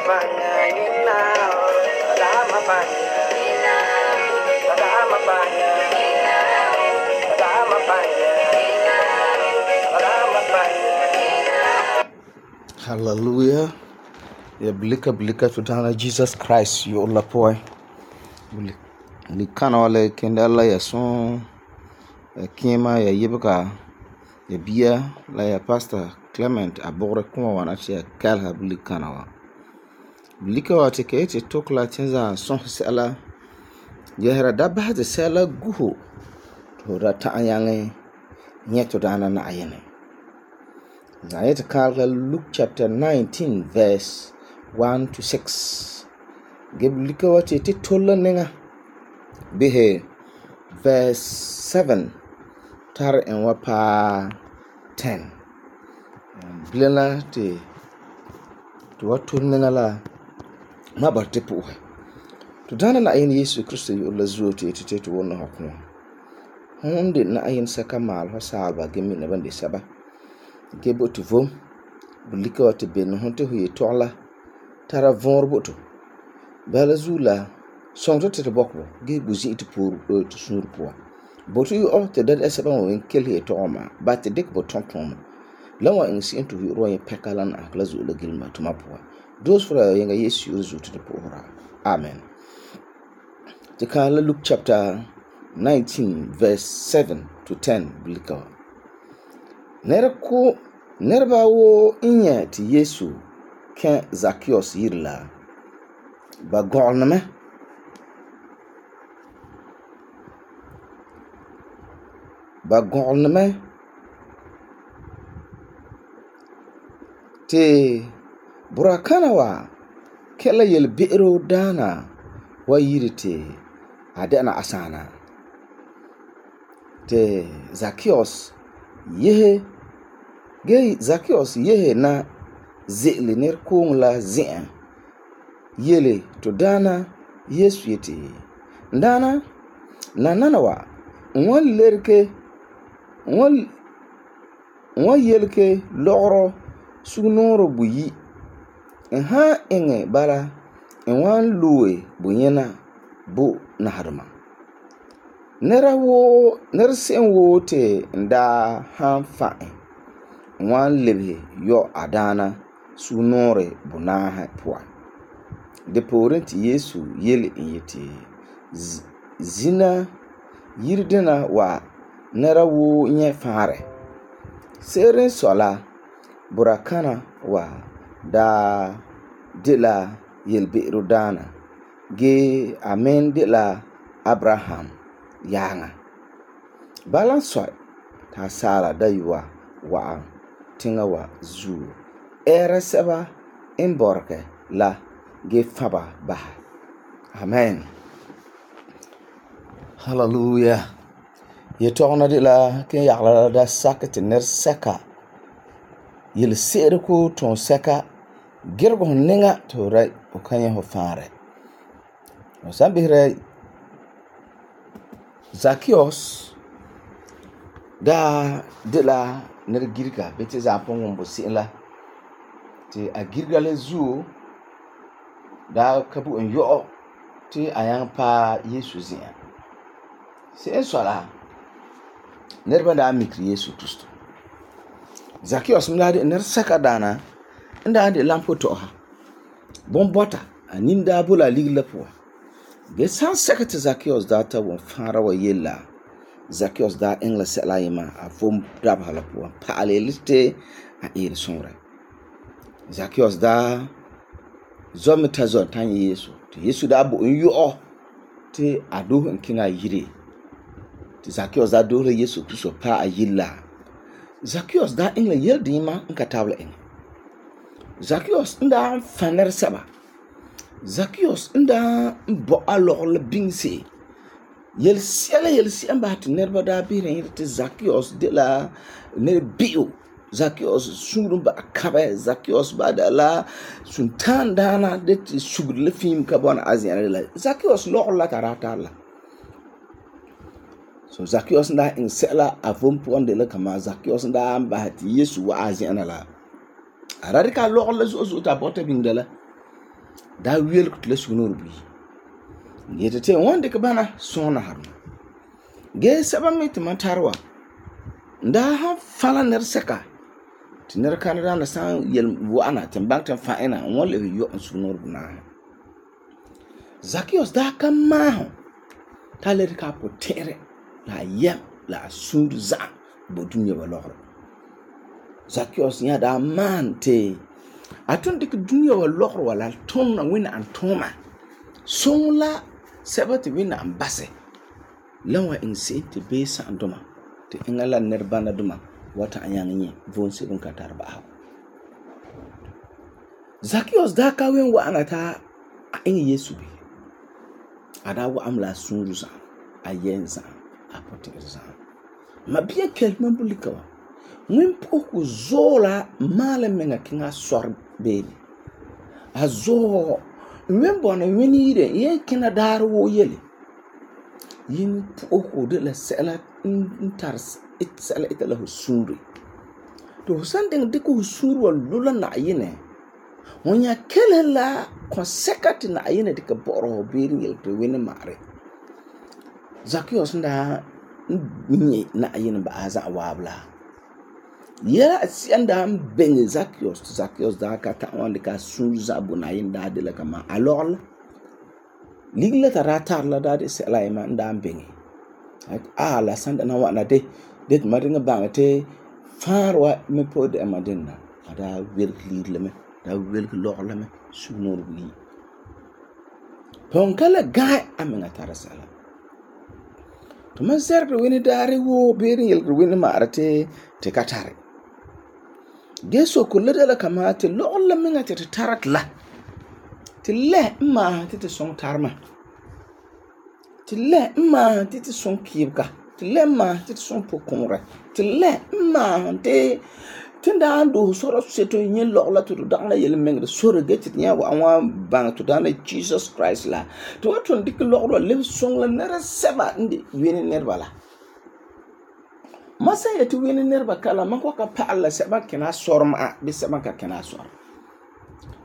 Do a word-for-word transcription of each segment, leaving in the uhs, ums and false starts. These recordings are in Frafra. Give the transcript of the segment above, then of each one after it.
Hallelujah. Ya blika blika to dana Jesus Christ yo la poy. Li kana wala kenda la ya son kima ya yibka ya biya la ya pastor Clement abogre kuma wana che kalha blika na wa. Blika wa te ke te tokla tenza son sala ya hera dabba de sala guho to da ta yange nyeto dana na ayene. Zayet kalka Luke chapter nineteen verse one to six. Geblika wa te te tola nenga bihe verse seven tar en wapa ten. Bilana te to watu nenga la mabarte puhe. To dana na ayin Yesu Kristo yu la zuo te te te to wona hakuna. Honde na ayin saka mal ho salba gemi na bande saba. Gebo to vom bulika wa te ben honte huye tola tara vor boto bala zula sonto te bokbo ge buzi te pour to sur poa boto yu o te dad esaba wa kelhe to oma ba te dik bo tonton lawa in si into yu roye pekalan akla zula gilma to mapoa dos fra yenga Yesu yu zu te poora. Amen. Te kala Luke chapter nineteen verse seven to ten bulika Nerko nerba wo inya ti Yesu ke Zacchaeus yirla ba golname ba golname te burakana wa kela yel be'ro dana wa yirite adana asana te Zacchaeus yehe ge Zacchaeus yehe na ze'le ner kong la ze'an yele to dana Yesu yete dana na nanawa won lerke won won yelke logro sugnoro buyi en ha enge bara en wan luwe bunyena bu naharma nera wo ner sen wo te nda han fa'en wan lebe yo adana sunore bunaha poa de porenti Yesu yele yete zina yirdena wa nera wo nye fare seren sola burakana wa da dela yelbe rodana ge amen dela Abraham yanga balan soy ta sala daywa wa tinga wa zu era seba in borke la ge faba ba. Amen. Hallelujah. Ye togna de la ken yagla da sakete ner seka yel sere ko ton seka gergo ninga to rai o kanya ho fare o sambire Zacchaeus da de la ner girga bete za pon bo sila ti a girga le zu da kabu en yo ti ayan pa Yesu zia se sola ner banda mikri Yesu Kristo Zacchaeus mla de ner saka dana nda de lampo to ha bon bota aninda bula ligla po ge san sekete Zacchaeus da ta won fara wa yella Zacchaeus da engla sela yima a vom dab hala po pa alelite a ir sonra Zacchaeus da zomita zon tan Yesu ti Yesu da bo yo ti ado nkinga yire ti Zacchaeus da do Yesu Kristo pa a yilla Zacchaeus da engla yel dima nka tabla en Zacchaeus nda faner saba Zacchaeus nda bo alor bingse yel siala yel siamba ti nerba da biren ti Zacchaeus de la ne bio Zacchaeus sungrum ba kabe Zacchaeus ba da la suntan dana de ti sugule fim ka bona azian la Zacchaeus lo la tarata la so Zacchaeus nda in sela avom ponde la kama Zacchaeus nda ba ti Yesu wa azian la ararika lo la zo zo ta bota bingdala Da wel ku tla sunur bi. Yete te won de ka bana sona har. Ge saba me te man tarwa. Da ha fala ner seka. Ti ner kan da na san yel wana te bank tan fa ina won le yo sunur buna. Zacchaeus da ka ma ta le ka potere la yem la sur za bo dunya wa lor. Zacchaeus ya da man te atun dik dunya wa lor wala ton na wina an toma. Son la sabati wina an basse. Lawa in se te be sa andoma te ingala nerbana duma wata anyang nye von se dun katar ba. Zacchaeus da ka wen wa anata in Yesu bi. Ada wa amla sunru za ayenza apote za. Ma biya kelman bulika wa. Mwin poku zola male menga kinga sor beli. A zo mwin bona weni ire ye kina daru wo yele. Yin poku de la sela intars it sela ita la husuri. To sanding diku husuri wa lula na yine. Wonya kele la konsekati na ayine dika boro beri yel to wini mare. Zacchaeus nda nye na ayine ba aza wabla. Ya sianda mbenge Zacchaeus Zacchaeus da ka ta wande ka suza bu na ayine da de la kama alol. Ligla ta ratar la da de sela ima nda mbenge. Ah la sanda na wana de det maringa bangate farwa me pod e madinna. Ada wir ligle me. Da wel lor la me sunur bi pon kala ga amena tarasala to man serbe wini dare wo beri yel wini marate te katare geso kullu da kama te lor la menga te tarat la te le ma te te son tarma te le ma te te son kibka te le ma te te son pokonra te le ma te tinda ando soro seto yin lokla to dana yel mengre soro getit nya wa wa bang to dana Jesus Christ la to waton dik loklo le song la nera seba ndi wini nerba la masa yetu wini nerba kala mako ka pa Allah seba kina sorma bi seba ka kina sor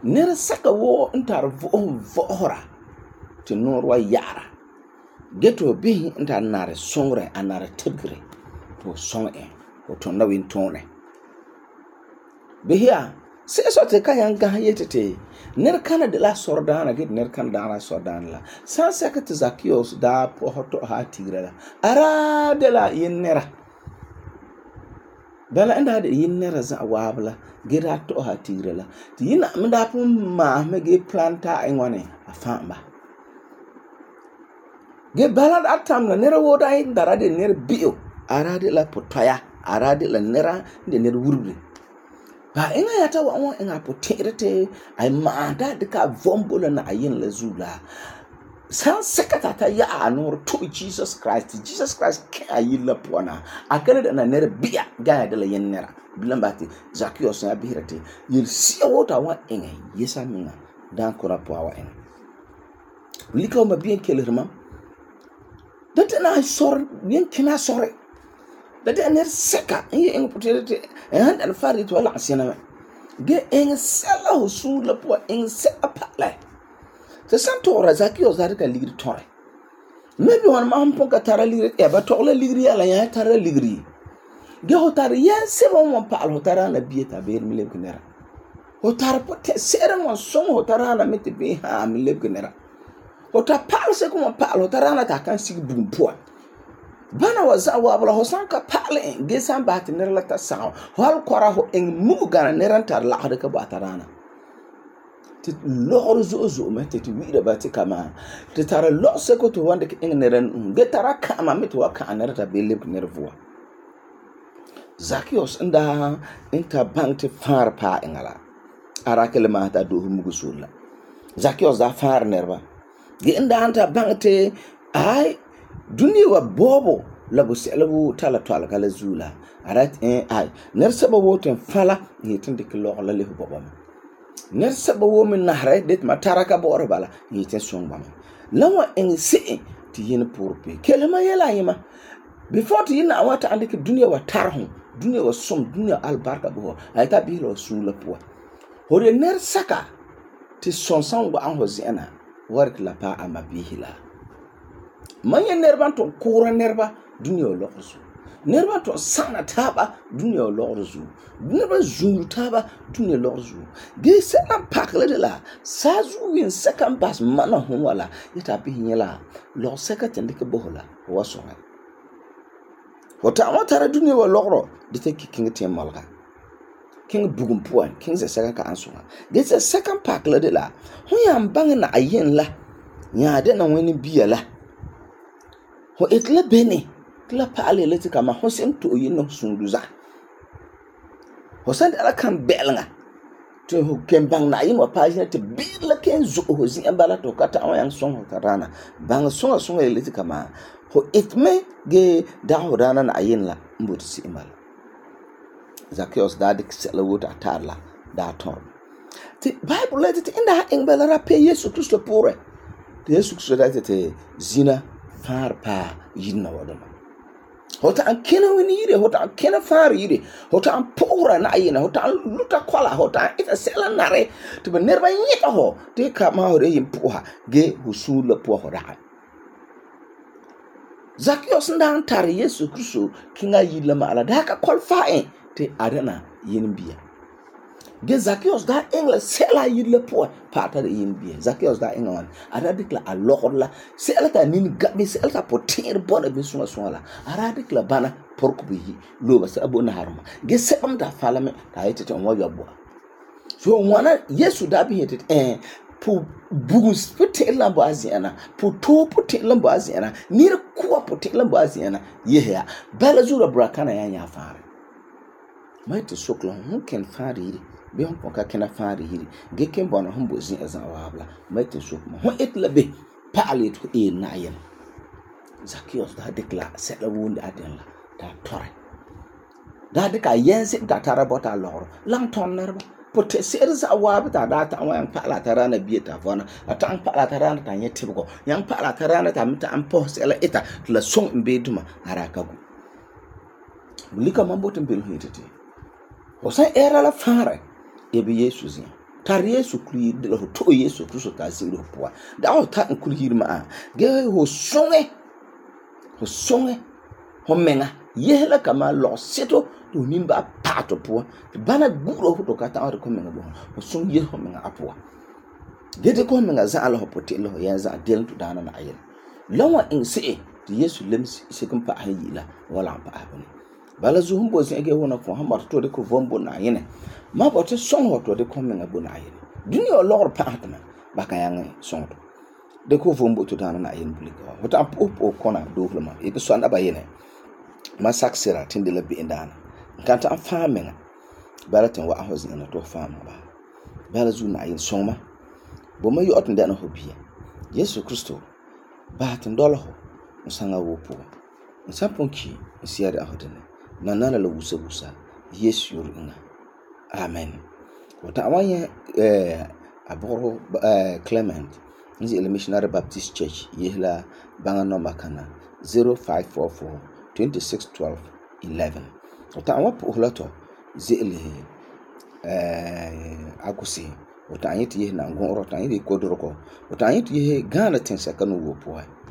nera saka wo ntar vo vohora to norwa yara geto bi ntar nare songre anare tebgre to song e to na win tone Behia, se so te kayan ga yetete. Ner kana de la sordana git ner kana da la sordana la. San sekete Zacchaeus da po hoto ha tigra la. Ara de la yinera. Bala enda de yinera za wabla gira to ha tigra la. Ti yina mda pu ma me ge planta engwane afamba. Ge bala atam la nera woda yin dara de ner bio. Ara de la potaya, ara de la nera de ner wurbi. Ba inga yata wa wa inga poterete ay maanda de ka vombola na ayin la zula san sekata ta ya anor to Jesus Christ Jesus Christ ka ayin la pona akere da na nere bia ga de la yen nera bilambati Zacchaeus na bihirate yil si wota wa inga yesa minga dan kora po wa en liko ma bien kelerma date na sor bien kina sore date ner seka ye en poterete en al farit wala asina ge en sala husu la po en se apala te santo Zacchaeus da ka ligri tore maybe one man pon ka tara ligri e ba to la ligri ala ya tara ligri ge hotar ya se mo mo pa al hotara na bieta be mi le kunera hotar po te sera mo som hotara na mete be ha mi le kunera hotar pa se ko mo pa al hotara na ta kan sig bum po bana waza wabla hosan ka pale gesan bat ner la ta sa hal kora ho en muga neran tar la hada ka batarana ti lor zo zo mete ti wi da bati kama ti tara lo se ko to wanda ke en neran ge tara kama mete wa ka ner ta bele nervua Zacchaeus nda inta bank far pa engala ara kelma ta do mugu sulla Zacchaeus da far nerva ge nda anta bank te ai dunia wa bobo labu selabu tala tala kala zula arat eh ai ner saba woten fala yitin dik lo la le bobo ner saba wo min nahre det mataraka bore bala yitin songba lawa en se ti yin pourpe kelma yela yima before ti yin awata andike dunia wa tarhu dunia wa som dunia albarka bo ay ta bi lo sula po hore ner saka ti son san wa'an ho zi'ana warik la pa ama bihi la. Man ya nerban to kura nerba dunia o lɔgɔ zuo. Nerba to sana taaba dunia o lɔgɔ zuo. Nerba zuru taaba dunia lɔgɔ zuo. Ge se'an pakle de la sazu win second pass mana hon wala yeta bihi nyela lɔgɔ second dike bo la wa songa. Wata ama tara dunia wa lɔgɔ de te king te malga. King bugum puan king se second ka ansonga. Ge se second pakle de la hon ya mbang na ayen la nya de na wani biya la. Ho etla bene kla paale leti kama ho sem to yin no sunduza ho san ala kan belnga to ho kembang na yin wa paajina te bila ken zo ho zin ambala to kata an yang song ho karana bang songa songa leti kama ho itme ge da ho rana na yin la mbut si imal Zacchaeus da dik sela wota tarla da ton ti bible leti inda ha engbela rape Yesu Kristo pore te Yesu Kristo da te zina far pa yinna wadama hota an kena wini yire hota an kena far yire hota an pora na yina hota an luta kwala hota an ita sela nare to be nerba yita ho te ka ma hore yin puha ge husula puha hora Zacchaeus ndan tar Yesu Kristo kinga yilla ma ala da ka kwalfa te arena yin biya ge Zacchaeus da engla sela yilla puha pata de yin biya Zacchaeus da engla wan aradik la alor la sela ta nin gabi sela ta potir bona bi sunga sunga la aradik la bana porku bi lo ba sa bona harma ge sebam da falame ta yete ton wa yabo so wana Yesu da bi yete eh pu bugus putir la bo aziana pu to putir la bo aziana nir kuwa putir la bo aziana yehya bala zura brakana ya nya fare mai to soklo hun ken fare be hon ka kena fare hiri ge ken bona hon bo zin azan wabla mai te sok ma hon etla be paale to e na yen Zacchaeus da dekla sela wundi aden la da tore da deka yense da tara bota loro lang ton nerba pote ser za wabta da ta wan paala tarana bieta vona ata an paala tarana ta nyetibgo yang paala tarana ta mita an po sela eta la song mbeduma arakagu bulika mambo tembel hitete osa era la fare ebe Yesu zin tar Yesu kuli de ho to Yesu Kristo ta zin ho poa da ho ta kuli hirma ge ho songe ho songe ho menga yehla kama lo seto to nimba pato poa bana guro ho to kata ho ko menga bo ho song ye ho menga apoa ge de ko menga za ala ho pote lo ya za del to dana na ayen lawa in se de Yesu lem se kan pa hayila wala pa abani bala zuhum bo zin ge wona ko hamar to de ko vombo na yene ma bote song hoto de ko menga bo na yene dunia lor pa atma baka yang song to de ko vombo to dana na yene bulika hota op op kona do flama e ko sanda ba yene ma saksira tinde la bi indana kanta an famenga bala tan wa ho zin na to fama ba bala zu na yene song ma bo ma yo otun de na hobiya Yesu Kristo ba tan dolo ho musanga wo po nsaponki siya da hodene na nana la wusa wusa Yesu yoringa amen wata awanya eh aboro eh Clement nzi ele Missionary Baptist Church yehla banga no makana zero five four four two six one two one one wata awapo holato zele eh akusi wata anyiti yehna ngon rota anyiti kodoroko wata anyiti yeh Ghana tensa kanu wo po